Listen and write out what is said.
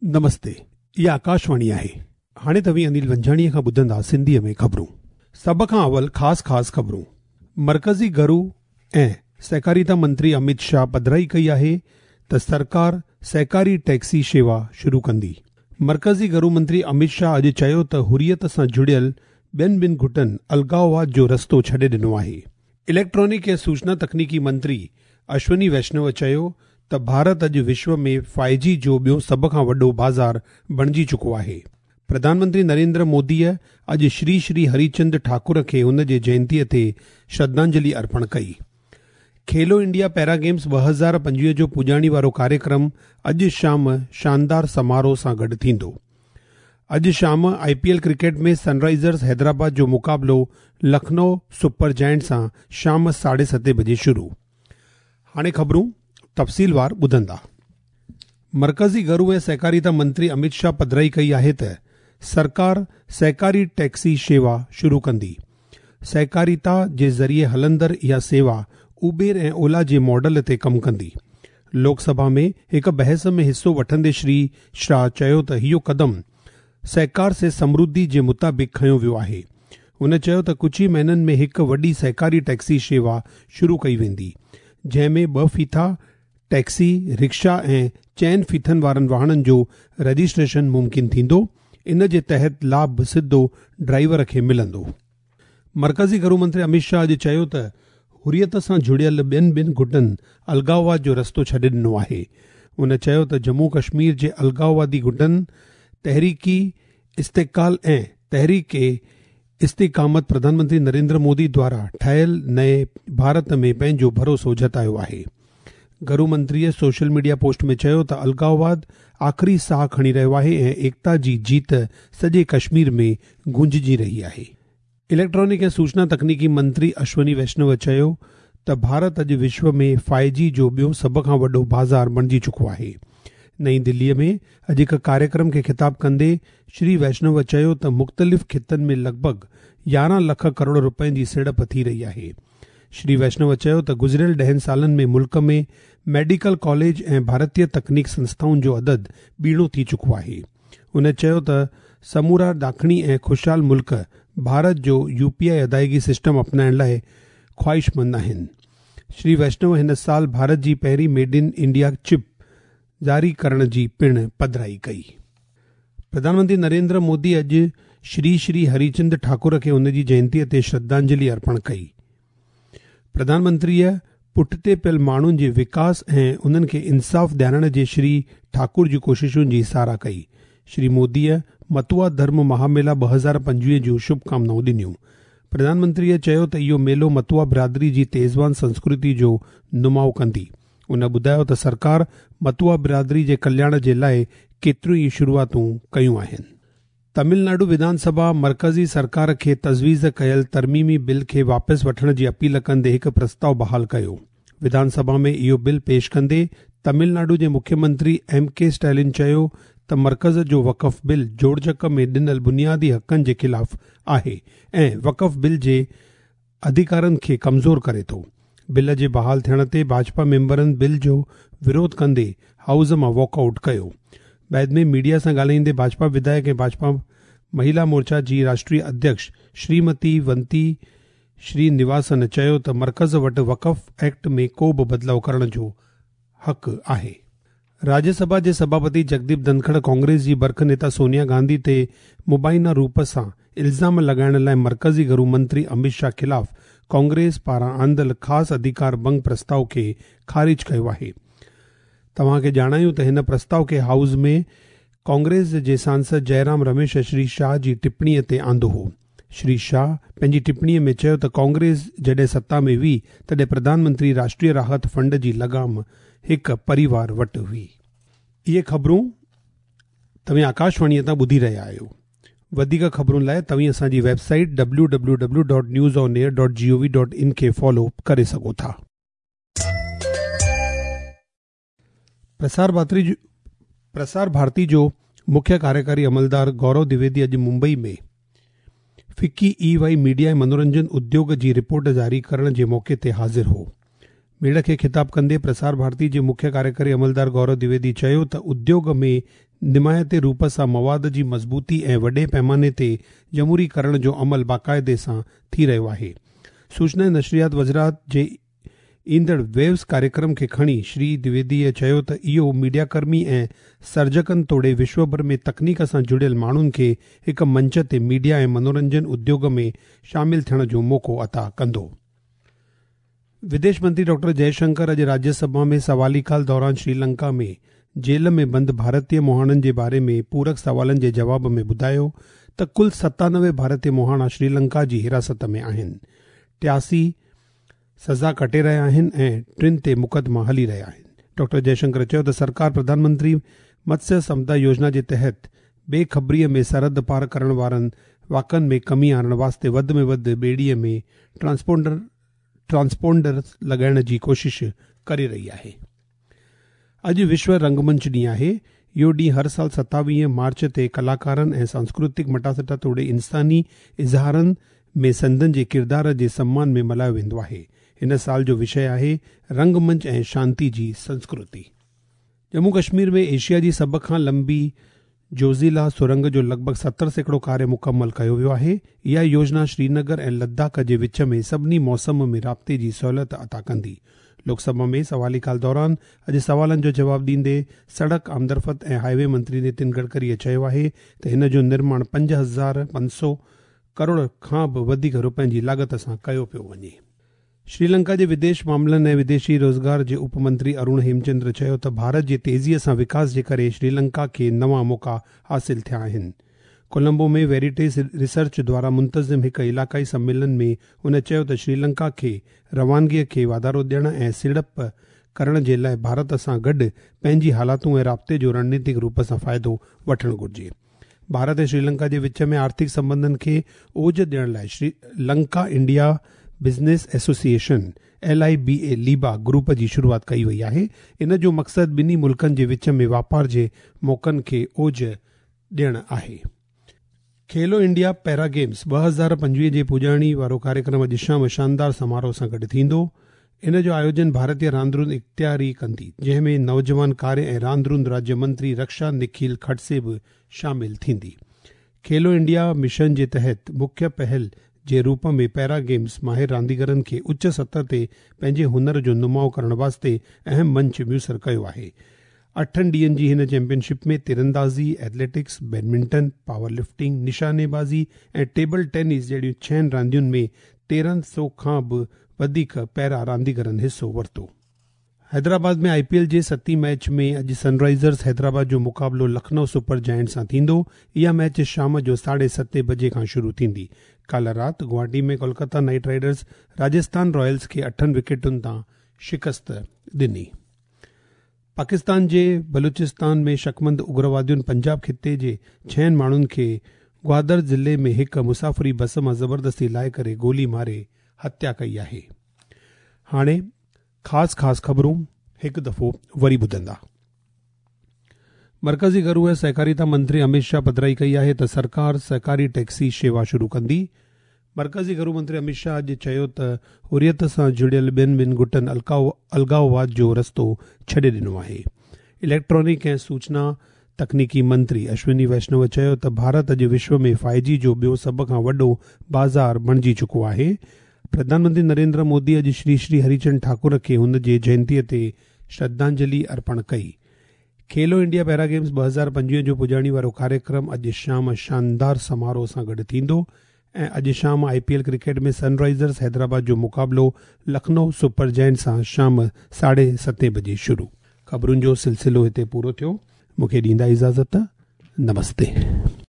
نمستي، اها آڪاشواڻي آهي. هاڻي توهين انيل ونجهاڻيء کان ٻڌندا سنڌيء ۾ خبرون. سڀ کان اول خاص خاص خبرون. مرڪزي گهرو ۽ سهڪاريتا منتري اميت شاهه پڌرائي ڪئي آهي ته سرڪار سهڪاري ٽيڪسي شيوا شروع ڪندي. مرڪزي گهرو منتري اميت شاهه اڄ چيو ته حريت سان جڙيل ٻين ٻن گٽن الغاوواد جو رستو ڇڏي ڏنو آهي. اليڪٽرانڪ ۽ سوچنا تڪنيڪي منتري اشوني ويشنو چيو ته ڀارت اڄ وشو ۾ فائيو جي جو ٻيو سڀ کان وڏو بازار بڻجي چڪو آهي. پرڌان منتري نريندر موديء اڄ شري شري هريچند ٺاڪر کي هن جي جينتيء تي شرڌانجلي ارپڻ ڪئي. کيلو انڊيا پيرا گيمز 2025 جو پڄاڻي وارو ڪاريڪرم اڄ شام شاندار سماروهه سان گڏ ٿيندو. اڄ شام I P L cricket ۾ Sunrisers Hyderabad جو مقابلو لکنؤ سپر جائنٽس سان شام ساڍي ستين بجي شروع. هاڻي خبرون تفصيلوار ٻڌندا. مرڪزي گهرو ۽ سهڪاريتا منتري اميت شاهه پڌرائي ڪئي آهي ته سرڪار سهڪاري ٽيڪسي شيوا شروع ڪندي. سهڪاريتا جي ذريعي هلندڙ اها سيوا اوبير ۽ اولا جي ماڊل تي ڪم ڪندي. لوڪ سڀا ۾ هڪ بحث ۾ حصو وٺندي شري شاهه چيو ته اهو قدم سهڪار سي سمرڌي جي مطابق کنيو ويو آهي. هن چيو ته ڪجهه ئي مهينن ۾ هڪ وڏي سهڪاري ٽيڪسي شيوا شروع ڪئي ويندي، جنهن ۾ ٻه ڦيٿا، ٽيڪسي، رڪشا ۽ چئن ڦيٿن وارن واهڻن جو رجسٽريشن ممڪن ٿيندو، ان جي تحت لاڀ سڌو ڊرائيور کي ملندو. مرڪزي گهرو منتري اميت شاهه اڄ چيو ته حريت سان جڙيل ٻين ٻن گٽن الغاوواد جو رستو ڇڏي ڏنو آهي. هن چيو ته ڄمون ڪشمير جي الغاووادي گٽن تحريڪ استقلال ۽ تحريڪ استقامت پرڌان منتري نريندر مودي دوارا ٺاهيل نئين ڀارت ۾ پنهنجو ڀروسو جتايو آهي. گهرو منتريء سوشل ميڊيا پوسٽ ۾ چيو ته الغاوواد آخري ساهه کڻي رهيو آهي ۽ ايڪتا جي جيت سڄي ڪشمير ۾ گونججي رهي آهي. اليڪٽرانڪ ۽ سوچنا تڪنيڪي منتري اشوني ويشنو چيو ته ڀارت اڄ وشو ۾ فائيو جي جو ٻيو سڀ کان وڏو بازار بڻجي چڪو آهي. نئين دلي ۾ اڄ هڪ ڪاريڪرم کي خطاب ڪندي شري ويشنو چيو ته مختلف خطن ۾ لڳ ڀڳ 11 لک ڪروڙ رپين جي سيڙپ ٿي رهي آهي. شري ويشنو چيو ته گذريل ڏهن سالن ۾ ملڪ ۾ ميڊيڪل ڪاليج ۽ ڀارتيه تڪنيڪ سنسٿائن جو عدد ٻيڻو ٿي چڪو آهي. هن چيو ته سمورا ڏاکڻي ۽ خوشحال ملڪ ڀارت جو يو پي آء ادائيگي سسٽم اپنائڻ لاء خواهشمند آهن. شري ويشنو هن سال ڀارت جي پهرين ميڊ ان انڊيا چپ جاري ڪرڻ جي پڻ پڌرائي ڪئي. پرڌان منتري نريندر مودي اڄ شري شري هريچند ٺاڪر کي هن جي جينتيء تي شرڌانجلي ارپڻ ڪئي. پرڌان منتريء پٺتي پيل ماڻهن جي وڪاس ۽ انهن کي انصاف ڏيارڻ جي شري ٺاڪر جي ڪوششن جي ساراهه ڪئي. شري موديء متوا ڌرم مهاميلا 2025 جون شڀ ڪامنائون ڏنيون. پرڌان منتريء چيو ته اهو ميلو متوا برادري جي تيزوان سنسڪرتي جو نماء ڪندي. ان ٻڌايو ته سرڪار متوا برادري جي ڪلياڻ جي لاء ڪيتريون ئي شروعاتون ڪيون آهن. تامل ناڊو وڌان سڀا مرڪزي سرڪار کي تجويز ڪيل ترميمي بل کي واپس وٺڻ جي اپيل ڪندي هڪ پرستاء بحال ڪيو. وڌان سڀا ۾ اهو بل پيش ڪندي تامل ناڊو جي مکيه منتري ايم ڪي اسٽالن چيو ته مرڪز جو وقف بل جوڙجڪ ۾ ڏنل بنيادي حقن جي خلاف آهي ۽ وقف بل جي اڌڪارن کي ڪمزور ڪري ٿو. بل جي بحال ٿيڻ تي ڀاجپا ميمبرن بل جو وروڌ ڪندي هائوس مان واڪ آئوٽ ڪيو. بعد ۾ ميڊيا سان ڳالهائيندي ڀاجپا وڌايڪ ۽ ڀاجپا مهيلا مورچا جي راشٽريه اڌيڪش شريمتي ونتي شري نواسن چيو ته مرڪز وٽ وقف ايڪٽ ۾ ڪو به بدلاء ڪرڻ جو حق آهي. راجيه سڀا جي سڀاپتي جگديپ ڌنکڙ ڪانگريس جي برک نيتا سونيا گانڌي تي مبينا روپ سان الزام لڳائڻ لاء مرڪزي گهرو منتري اميت شاهه خلاف ڪانگريس پاران آندل خاص اڌڪار ڀنگ پرستاء کي خارج ڪيو آهي. توهان کي ڄاڻايون ته هن پرستاء کي هائوس ۾ ڪانگريس جي سانسد جئرام رميش شري شاهه جي ٽپڻي تي آندو هو. شري شاهه پنهنجي ٽپڻي ۾ چيو ته ڪانگريس جڏهن ستا ۾ هئي تڏهن پرڌان منتري راشٽريه راحت فنڊ جي لگام هڪ پريوار وٽ هئي. اهي خبرون توهين آڪاشواڻيء تان ٻڌي رهيا آهيو. وڌيڪ خبرن لاء توهين اسان جي web site W W W dot news on air dot G O V dot in کي فالو ڪري سگهو ٿا. پرسار ڀارتي جو مکيه ڪاريڪاري عملدار گورو دويدي اڄ ممبئي ۾ فڪي اي وائي ميڊيا ۽ منورنجن اديوگ جي رپورٽ جاري ڪرڻ جي موقعي تي حاضر هو. ميڙ کي خطاب ڪندي پرسار ڀارتي جي مکيه ڪاريڪاري عملدار گورو دويدي چيو ته اديوگ ۾ نمايتي روپ سان مواد جي مضبوطي ۽ وڏي پيماني تي جمهوري ڪرڻ جو عمل باقاعدي سان ٿي رهيو آهي. سوچنا ۽ نشريات وزارت جي ايندڙ ويوز ڪاريڪرم کي کڻي شري دويديء چيو ته اهو ميڊيا ڪرمي ۽ سرجڪن توڙي وشوڀر ۾ تڪنيڪ سان جڙيل ماڻهن کي هڪ منچ تي ميڊيا ۽ منورنجن اديوگ ۾ شامل ٿيڻ جو موقعو عطا ڪندو. وديش منتري ڊاڪٽر جئي شنڪر اڄ راجيه سڀا ۾ سوالي ڪال دوران شري لنڪا ۾ جيل ۾ بند ڀارتي مهاڻن جي باري ۾ پورڪ سوالن جي جواب ۾ ٻڌايو ته ڪل 97 ڀارتي مهاڻا شري لنڪا جي حراست ۾ آهن، 83 سزا ڪٽي رهيا آهن ۽ 3 تي مقدما هلي رهيا آهن. ڊاڪٽر جئي شنڪر چيو ته سرڪار پرڌان منتري متسيه سمپدا يوجنا جي تحت بي خبريء ۾ سرحد پار ڪرڻ وارن واقعن ۾ ڪمي آڻڻ واسطي وڌ ۾ وڌ ٻيڙيء ۾ ٽرانسپونڊر لڳائڻ جي ڪوشش ڪري رهي آهي. اڄ وشو رنگ منچ ڏينهن آهي. اهو ڏينهن هر سال 27 مارچ تي ڪلاڪارن ۽ سانسڪرتڪ مٽاسٽا توڙي انساني اظهارن ۾ سندن جي ڪردار جي سمان ۾ ملهايو ويندو آهي. هن سال جو وشي آهي رنگ منچ ۽ شانتي جي سنسڪرتي. ڄمون ڪشمير ۾ ايشيا جي سڀ کان لمبي جوزيلا سرنگ جو لڳ ڀڳ 70% ڪاريه مڪمل ڪيو ويو آهي. اها يوجنا شرينگر ۽ لداخ جي وچ ۾ سڀني موسم ۾ رابطي جي سهولت عطا ڪندي. لوڪ سڀا ۾ سوالي ڪال دوران اڄ سوالن جو جواب ڏيندي سڙڪ آمدرفت ۽ هاء وي منتري نتن گڊڪريء چيو آهي ته هن جو نرماڻ 5500 ڪروڙ کان به وڌيڪ روپين جي لاڳت سان ڪيو پيو وڃي. شري لنڪا جي وديش معاملن ۽ وديشي روزگار جي اپ منتري ارون هيمچندر چيو ته ڀارت جي تيزيء سان وڪاس جي ڪري شري لنڪا کي نوان موقعا حاصل ٿيا آهن. ڪولمبو ۾ ويريٽيس ريسرچ دواران منتظم هڪ علائقائي سميلن ۾ هن چيو ته شري لنڪا کي روانگيء کي واڌارو ڏيڻ ۽ سيڙپ ڪرڻ جي لاء ڀارت سان گڏ پنهنجي حالاتون ۽ رابطي جو رڻنيتڪ روپ سان فائدو وٺڻ گهرجي. ڀارت ۽ شري لنڪا جي وچ ۾ آرٿڪ سنٻنڌن کي اوج ڏيڻ لاء Sri Lanka India business association, L I B A, ليبا گروپ جي شروعات ڪئي وئي آهي. ان جو مقصد ٻنهي ملڪن جي وچ ۾ واپار جي موقعن کي اوج ڏيڻ آهي. کيلو انڊيا پيرا گيمز 2025 جي پڄاڻي وارو ڪاريڪرم اڄ شام شاندار سماروهه سان گڏ ٿيندو. ان جو آيوجن ڀارتيه راندروند اختياري ڪندي، جنهن ۾ نوجوان ڪاريه ۽ راندروند راجيه منتري رڪشا نکيل کڊسي به شامل ٿيندي. کيلو انڊيا مشن جي تحت مکيه پهل جي روپ ۾ پيرا گيمز ماهر رانديگرن کي اچ سطح تي پنهنجي هنر جو نماء ڪرڻ واسطي اهم منچ ميسر ڪيو آهي. 8 ڏينهن جي هن چيمپيئن شپ ۾ تيراندازي، ايٿليٽڪس، بيڊمنٽن، پاور لفٽنگ، نشاني بازي ۽ ٽيبل ٽينس جهڙيون 6 راندين ۾ 1300 کان به وڌيڪ پيرا رانديگرن حصو ورتو. حيدرآباد ۾ آء پي ايل جي ستين ميچ ۾ اڄ سن رائيزرز حيدرآباد جو مقابلو لکنؤ سپر جائنٽ سان ٿيندو. اها ميچ شام جو 7:30 بجي کان شروع ٿيندي. ڪالهه رات Guwahati ۾ Kolkata Knight Riders Rajasthan Royals کي 8 وڪيٽن تان شڪست ڏني. پاڪستان جي بلوچستان ۾ شڪمند اگروادين پنجاب خطي جي 6 ماڻهن کي گوادر ضلعي ۾ هڪ مسافري بس مان زبردستي لاهي ڪري گولي ماري هتيا ڪئي آهي. هاڻي خاص خاص خبرون هڪ دفعو وري ٻڌندا. مرڪزي گهرو ۽ سهڪاريتا منتري اميت شاهه پڌرائي ڪئي آهي ته سرڪار سهڪاري ٽيڪسي شيوا شروع ڪندي. مرڪزي گهرو منتري اميت شاهه اڄ چيو ته حريت سان جڙيل ٻين ٻن گٽن الڳائوواد جو رستو ڇڏي ڏنو آهي. اليڪٽرانڪ ۽ سوچنا تڪنيڪي منتري اشوني ويشنو چيو ته ڀارت اڄ وشو ۾ فائيو جي جو ٻيو سڀ کان وڏو بازار بڻجي چڪو آهي. پرڌان منتري نريندر مودي اڄ شري شري هريچند ٺاڪر کي هن جي جينتيء تي شرڌانجلي ارپڻ ڪئي. کيلو انڊيا پيرا گيمز 2025 جو پڄاڻي وارو ڪاريڪرم اڄ شام شاندار سماروهه سان گڏ ٿيندو ۽ اڄ شام I P L cricket ۾ Sunrisers Hyderabad جو مقابلو لکنؤ سپر جائنٽ سان شام 7:30 بجي شروع. خبرن جو سلسلو هتي پورو ٿيو. مون کي ڏيندا اجازت. نمستي.